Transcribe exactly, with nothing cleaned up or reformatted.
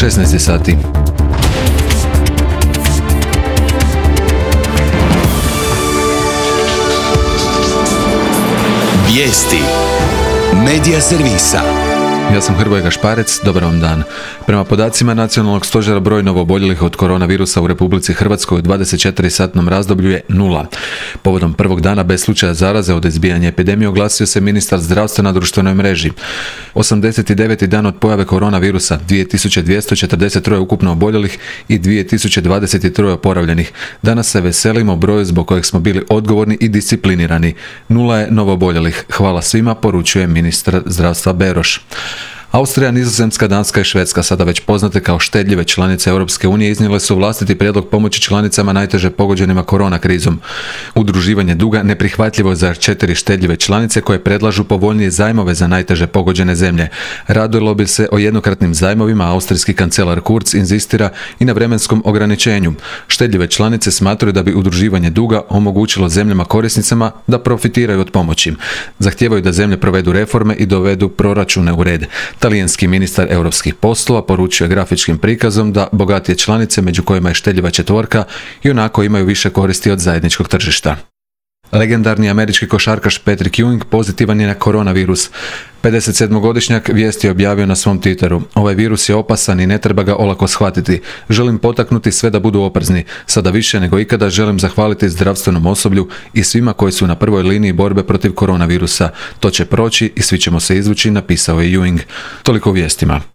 šesnaest sati. Vijesti Medija servisa. Ja sam Hrvoje Gašparec, dobar vam dan. Prema podacima Nacionalnog stožera broj novooboljelih od koronavirusa u Republici Hrvatskoj u dvadeset četiri satnom razdoblju je nula. Povodom prvog dana bez slučaja zaraze od izbijanja epidemije oglasio se ministar zdravstva na društvenoj mreži. osamdeset deveti dan od pojave koronavirusa, dvije tisuće dvjesto četrdeset tri ukupno oboljelih i dvije tisuće dvadeset tri oporavljenih. Danas se veselimo broju zbog kojeg smo bili odgovorni i disciplinirani. Nula je novooboljelih. Hvala svima, poručuje ministar zdravstva Beroš. Austrija, Nizozemska, Danska i Švedska, sada već poznate kao štedljive članice Europske unije, iznijele su vlastiti prijedlog pomoći članicama najteže pogođenima korona krizom. Udruživanje duga neprihvatljivo je za četiri štedljive članice koje predlažu povoljnije zajmove za najteže pogođene zemlje. Radilo bi se o jednokratnim zajmovima, austrijski kancelar Kurz inzistira i na vremenskom ograničenju. Štedljive članice smatraju da bi udruživanje duga omogućilo zemljama korisnicama da profitiraju od pomoći. Zahtijevaju da zemlje provedu reforme i dovedu proračune u red. Talijanski ministar europskih poslova poručuje grafičkim prikazom da bogatije članice, među kojima je štedljiva četvorka, ionako imaju više koristi od zajedničkog tržišta. Legendarni američki košarkaš Patrick Ewing pozitivan je na koronavirus. pedesetsedmogodišnjak vijesti je objavio na svom Twitteru. Ovaj virus je opasan i ne treba ga olako shvatiti. Želim potaknuti sve da budu oprezni. Sada više nego ikada želim zahvaliti zdravstvenom osoblju i svima koji su na prvoj liniji borbe protiv koronavirusa. To će proći i svi ćemo se izvući, napisao je Ewing. Toliko u vijestima.